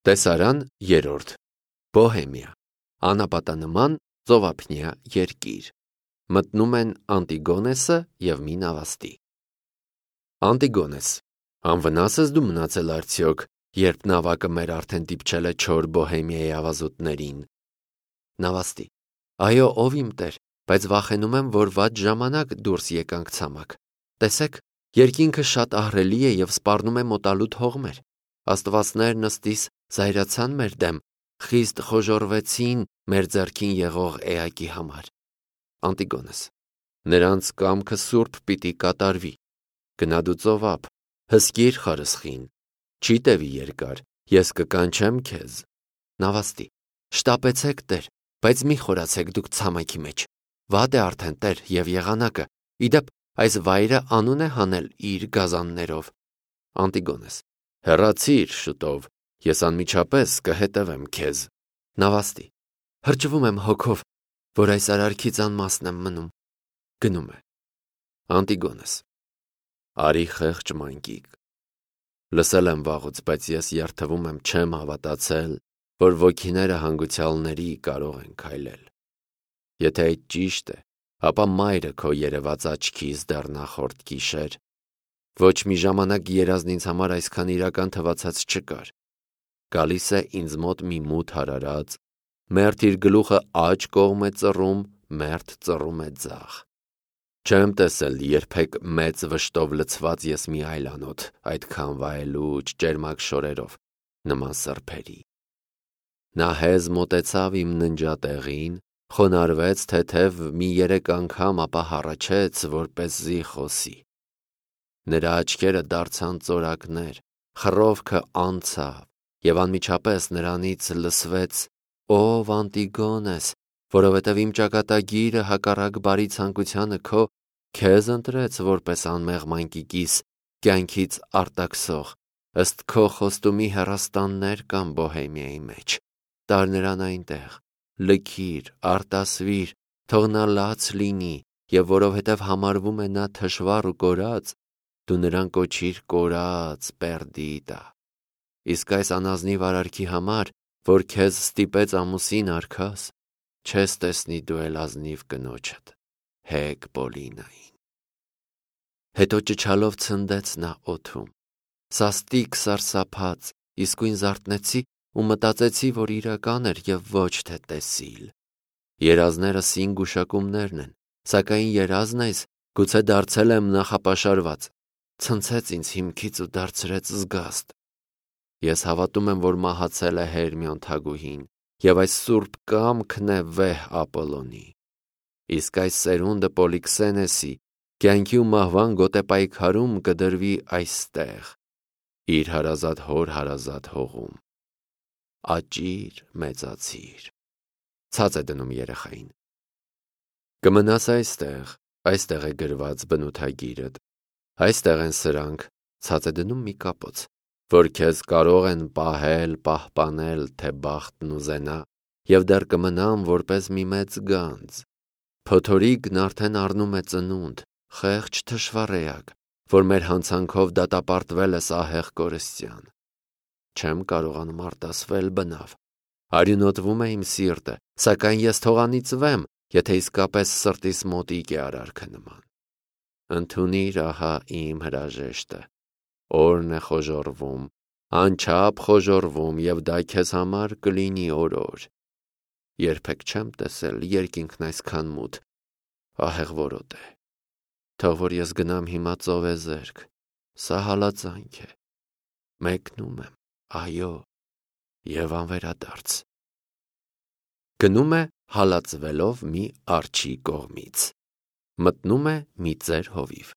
Տեսարան 3. Բոհեմիա, անապատանման ծովափնյա երկիր, մտնում են Անտիգոնեսը և մի նավաստի։ Անտիգոնես, անվնաս ես դու մնացել արդյոք, երբ նավակը մեր արդեն դիպչել է չոր Բոհեմիայի ավազուտներին։ Նավաստի, այո, ով իմ տեր, բայց վախենում եմ, որ վատ ժամանակ դուրս եկանք ցամաք։ Տեսեք, երկինքը շատ ահռելի է և սպառնում է մոտալուտ հողմեր։ Աստվածներն ըստիս զայրացան մեր դեմ, խիստ խոժոռվեցին մեր ձեռքին եղող էակի համար։ Անտիգոնես, նրանց կամքը սուրբ պիտի կատարվի։ Գնա դու ծովափ, հսկիր խարսխին, չի տևի երկար, ես կկանչեմ քեզ։ Նավաստի, շտապեցեք տեր, բայց մի խորացեք դուք ցամաքի մեջ։ Վատ է արդեն տեր և եղանակը, իդեպ այս վայրը անուն է հանել իր գազաններով։ Անտիգոնես, հեռացիր շուտով, ես անմիջապես կհետևեմ քեզ։ Նավաստի, հրճվում եմ հոգով, որ այս արարքից անմասն եմ մնում։ Գնում է։ Անտիգոնես, արի խեղճ մանկիկ, լսել եմ վաղուց, բայց ես երդվում եմ չեմ հավատացել, որ ոգիները հանգուցյալների կարող են քայլել։ Եթե այդ ճիշտ է, ապա մայրը քո երևաց աչքիս դեռ նախորդ գիշեր։ Ոչ մի ժամանակ երազն ինձ համար այսքան իրական թվացած չկար։ Գալիս է ինձ մոտ մի մութ հարարած, մերթ իր գլուխը աջ կողմ է ծռում, մերթ ծռում է ձախ։ Չեմ տեսել երբեք մեծ վշտով լցված ես մի այլանոթ, այդքան վայելուչ, ճերմակ շորերով, նման սրբերի։ Նա հեզ մոտեցավ իմ ննջատեղին, խոնարհվեց թեթև մի 3 անգամ, ապա հառաչեց, որպեսզի խոսի։ Նրա աչքերը դարձան ծորակներ, խռովքը անցավ, և անմիջապես նրանից լսվեց. «Ով Անտիգոնես, որովհետև իմ ճակատագիրը հակառակ բարի ցանկությանը քեզ ընտրեց որպես անմեղ մանկիկիս կյանքից արտաքսող, ըստ քո խոստումի հեռաստաններ կան Բոհեմիայի մեջ, տար նրան այնտեղ, լքիր, արտասվիր, թող նա լաց լինի, և որովհետև համարվում է նա թշվառ ու կորած, դու նրան կոչիր կորած Պերդիդա։ Իսկ այս անազնիվ արարքի համար, որ քեզ ստիպեց ամուսին արքաս, չես տեսնի դու էլ ազնիվ կնոջդ, Հեկ Պոլինային»։ Հետո ճչալով ցնդեց նա օդում։ Սաստիկ սարսափած, իսկույն զարթնեցի ու մտածեցի, որ իրական էր և ոչ թե տեսիլ։ Երազները սին գուշակումներն են, սակայն երազն այս գուցե դարձել եմ նախապաշարված, ցնցեց ինձ հիմքից ու դարձրեց զգաստ։ Ես հավատում եմ, որ մահացել է Հերմիոն թագուհին, և այս սուրբ կամքն է վեհ Ապոլոնի։ Իսկ այս սերունդը Պոլիքսենեսի կյանքի ու մահվան գոտեպայքարում կդրվի այստեղ, իր հարազատ հոր հարազատ հողում։ Աճիր, մեծացիր։ Ցած է դնում երեխային։ Կմնաս այստեղ է գրված բնութագիրդ, այստեղ են սրանք, ցած է դնում մի կապոց, որ քեզ կարող են պահել, պահպանել, թե բախտն ուզենա, և դեռ կմնամ որպես մի մեծ գանձ։ Փոթորիկն արդեն առնում է ծնունդ, խեղճ թշվառ էակ, որ մեր հանցանքով դատապարտվել ես ահեղ կորստյան։ Չեմ կարողանում արտասվել բնավ։ Արյունոտվում է իմ սիրտը, սակայն ես թող անիծվեմ, եթե իսկապես սրտիս մոտիկ է արարքը նման։ Ընդունիր ահա իմ հրաժեշտը։ Օրն է խոժոռվում, անչափ խոժոռվում, և դա քեզ համար կլինի օրոր։ Երբեք չեմ տեսել երկինքն այսքան մութ, ահեղ որոտ է։ Թող որ ես գնամ հիմա ծովեզերք, սա հալածանք է։ Մեկնում եմ, այո, և անվերադարձ։ Գնում է հալածվելով մի արջի կողմից։ Մտնում է մի ծեր հովիվ։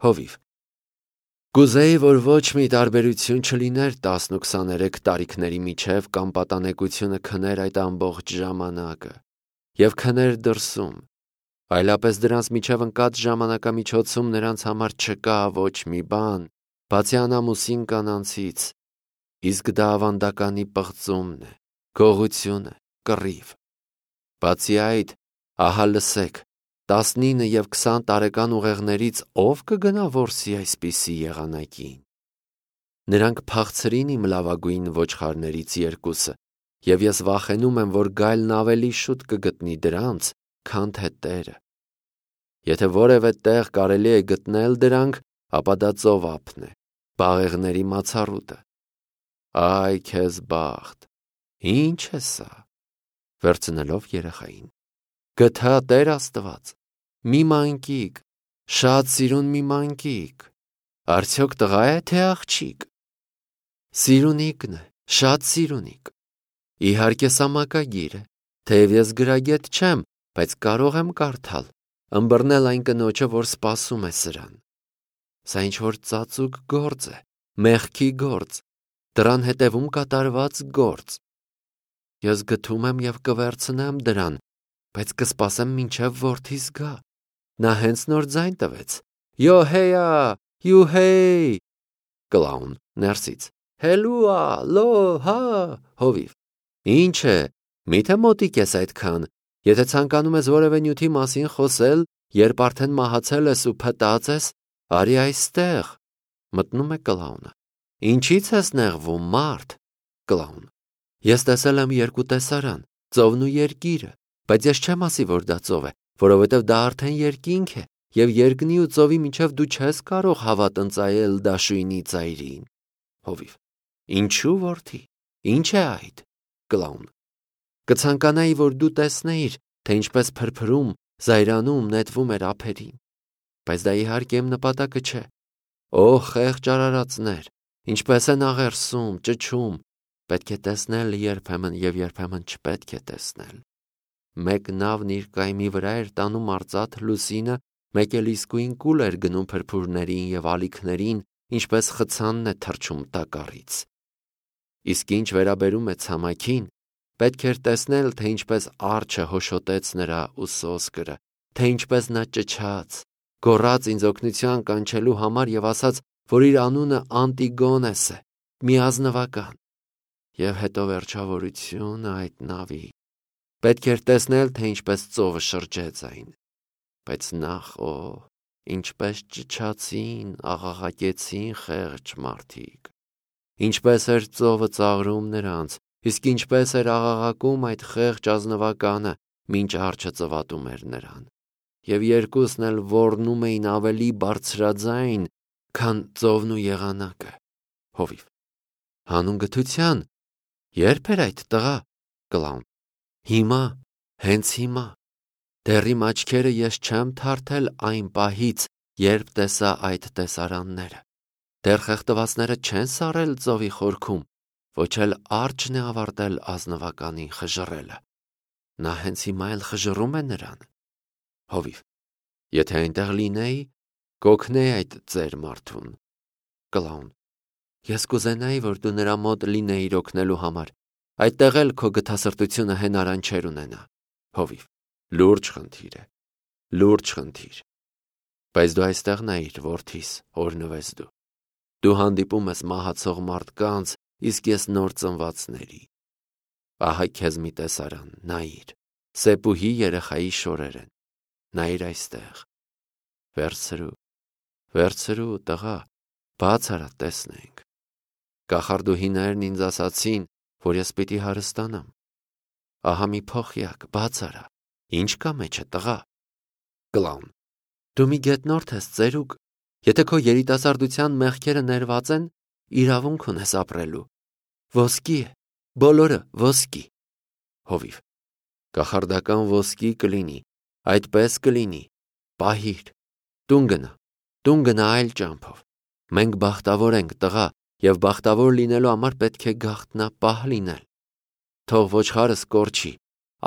Հովիվ. Կուզեի, որ ոչ մի տարբերություն չլիներ 10 ու 23 տարիքների միջև կամ պատանեկությունը քներ այդ ամբողջ ժամանակը և քներ դրսում, այլապես դրանց միջև ընկած ժամանակամիջոցում նրանց համար չկա ոչ մի բան, բացի անամուսին կանանցից, իսկ դա ավանդականի պղծումն է, գողություն է, կռիվ։ Բացի այդ, ահա լսեք, 19 և 20 տարեկան ուղեղներից ով կգնա որսի այսպիսի եղանակին։ Նրանք փախցրին իմ լավագույն ոչխարներից երկուսը, և ես վախենում եմ, որ գայլն ավելի շուտ կգտնի դրանց, քան թե տերը։ Եթե որևէ տեղ կարելի է գտնել դրանք, ապա դա ծովափն է, բաղեղների մացառուտը։ Այ քեզ բախտ, ի՞նչ է սա։ Վերցնելով երեխային, գթա Տեր Աստված, մի մանկիկ, շատ սիրուն մի մանկիկ, արդյոք տղա է թե աղջիկ։ Սիրունիկն է, շատ սիրունիկ։ Իհարկե սա մակագիր է, թեև ես գրագետ չեմ, բայց կարող եմ կարդալ, ըմբռնել այն կնոջը, որ սպասում է սրան։ Սա ինչ-որ ծածուկ գործ է, մեղքի գործ, դրան հետևում կատարված գործ։ Ես գթում եմ և կվերցնեմ դրան, բայց կսպասեմ մինչև որդիս գա։ Նա հենց նոր ձայն տվեց. Յոհեյա, յուհեյ։ Կլաուն ներսից. Հելուա, լո, հա, հովիվ։ Ինչ է, միթե մոտիկ ես այդքան, եթե ցանկանում ես որևէ նյութի մասին խոսել, երբ արդեն մահացել ես ու փտած ես, արի այստեղ։ Մտնում է կլաունը։ Ինչի՞ց ես նեղվում, մարդ։ Կլաուն. Ես տեսել եմ երկու տեսարան, ծովն ու երկիրը, բայց ես չեմ ասի, որ դա ծով է, որովհետև դա արդեն երկինք է, և երկնի ու ծովի միջև դու չես կարող հավատ ընծայել դաշույնի ծայրին։ Հովիվ. Ինչու, որդի, ինչ է այդ։ Կլաուն. Կցանկանայի, որ դու տեսնեիր, թե ինչպես փրփրում, զայրանում, նետվում էր ափերին, բայց դա իհարկե իմ նպատակը չէ։ Օ, խեղճ արարածներ, ինչպես են աղերսում, ճչում, պետք է տեսնել երբեմն և երբեմն չպետք է տեսնել։ Մեկ նավն իր կայմի վրա էր տանում արծաթ լուսինը, մեկ էլ իսկույն կուլ էր գնում փրփուրներին և ալիքներին, ինչպես խցանն է թռչում տակառից։ Իսկ ինչ վերաբերում է ցամաքին, պետք էր տեսնել, թե ինչպես արջը հոշոտեց նրա ուսոսկրը, թե ինչպես նա ճչաց, գոռաց ինձ օգնության կանչելու համար և ասաց, որ իր անունը Անտիգոնես է, միազնվական։ Եվ հետո վերջավորությունը այդ նավի։ Պետք էր տեսնել, թե ինչպես ծովը շրջեց այն։ Բայց նախ, ինչպես ճչացին, աղաղակեցին խեղճ մարդիկ։ Ինչպես էր ծովը ծաղրում նրանց, իսկ ինչպես էր աղաղակում այդ խեղճ ազնվականը, մինչ արջը ծվատում էր նրան։ Եվ երկուսն էլ ոռնում էին ավելի բարձրաձայն, քան ծովն ու եղանակը։ Հովիվ. Հանուն գթության, ե՞րբ էր այդ տղա։ Կլաուն. Հիմա, հենց հիմա։ Դեռ իմ աչքերը ես չեմ թարթել այն պահից, երբ տեսա այդ տեսարանները։ Դեռ խեղդվածները չեն սառել ծովի խորքում, ոչ էլ արջն է ավարտել ազնվականին խժռելը։ Նա հենց հիմա էլ խժռում է նրան։ Հովիվ. Եթե այնտեղ լինեի, կօգնեի այդ ծեր մարդուն։ Կլաուն. Ես կուզենայի, որ դու նրա մոտ լինեիր օգնելու համար, այդտեղ էլ քո գթասրտությունը հենարան չէր ունենա։ Հովիվ. Լուրջ խնդիր է, լուրջ խնդիր։ Բայց դու այստեղ նայիր, որդիս, օրհնվես դու։ Դու հանդիպում ես մահացող մարդկանց, իսկ ես նոր ծնվածների։ Ահա քեզ մի տեսարան, նայիր, Սեպուհի երեխայի շորեր են։ Նայիր այստեղ։ Վերցրու, տղա, բաց արա տեսնենք։ Կախարդուհիներն ինձ ասացին, որ ես պիտի հարստանամ։ Ահա մի փոխյակ, բաց արա, ինչ կա մեջը, տղա։ Կլաուն. Դու մի գետնորդ ես, ծերուկ, եթե քո երիտասարդության մեղքերը ներված են, իրավունք ունես ապրելու։ Ոսկի է, բոլորը ոսկի։ Հովիվ. Կախարդական ոսկի կլինի, այդպես կլինի, պահիր, տուն գնա այլ ճամփով։ Մենք բախտավոր ենք, տղա, և բախտավոր լինելու համար պետք է գաղտնապահ լինել։ Թող ոչխարս կորչի,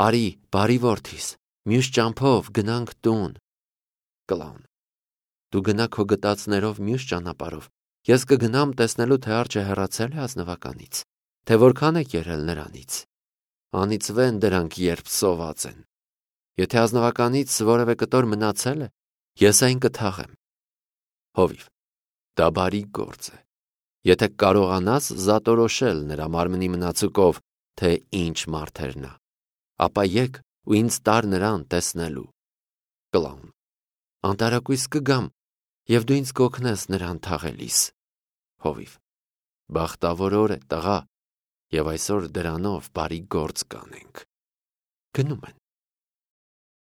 արի, բարի որդիս, մյուս ճամփով գնանք տուն։ Կլաուն. Դու գնա քո գտածներով մյուս ճանապարհով, ես կգնամ տեսնելու, թե արջը հեռացել է ազնվականից, թե որքան է կերել նրանից։ Անիծվեն դրանք, երբ սոված են։ Եթե ազնվականից որևէ կտոր մնացել է, ես այն կթաղեմ։ Հովիվ. Դա բարի գործ է։ Եթե կարողանաս զատորոշել նրա մարմնի մնացուկով, թե ինչ մարդ էր նա, ապա եկ ու ինձ տար նրան տեսնելու։ Կլաուն. Անտարակույս կգամ, և դու ինձ կօգնես նրան թաղելիս։ Հովիվ. Բախտավոր օր է, տղա, եւ այսօր դրանով բարի գործ կանենք։ Գնում են։